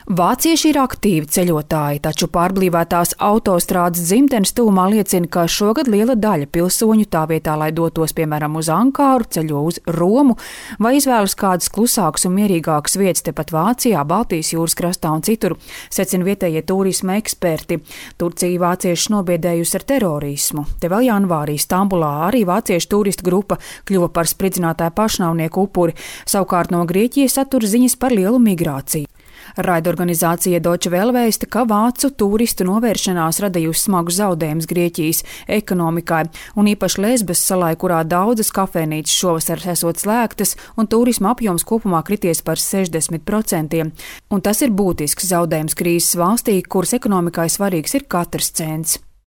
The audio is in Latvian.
Vācieši ir aktīvi ceļotāji, taču pārblīvētās autostrādes dzimtenes tuvumā liecina, ka šogad liela daļa pilsoņu tā vietā, lai dotos piemēram uz Ankaru, ceļo uz Romu vai izvēlas kādas klusākas un mierīgākas vietas tepat Vācijā, Baltijas jūras krastā un citur, secina vietējie turisma eksperti. Turcija vāciešus nobiedējusi ar terorismu. Te vēl janvārī Stambulā arī vāciešu turistu grupa kļuva par spridzinātāju pašnāvnieku upuri, savukārt no Grieķijas satur ziņas par lielu migrāciju. Raidorganizācija Deutsche Welle vēsta, ka vācu turistu novēršanās radījusi smagus zaudējumus Grieķijas ekonomikai, un īpaši Lesbas salai, kurā daudzas kafejnīcas šovasar esot slēgtas, un turisma apjoms kopumā krities par 60%. Un tas ir būtisks zaudējums krīzes valstī, kuras ekonomikai svarīgs ir katrs cents.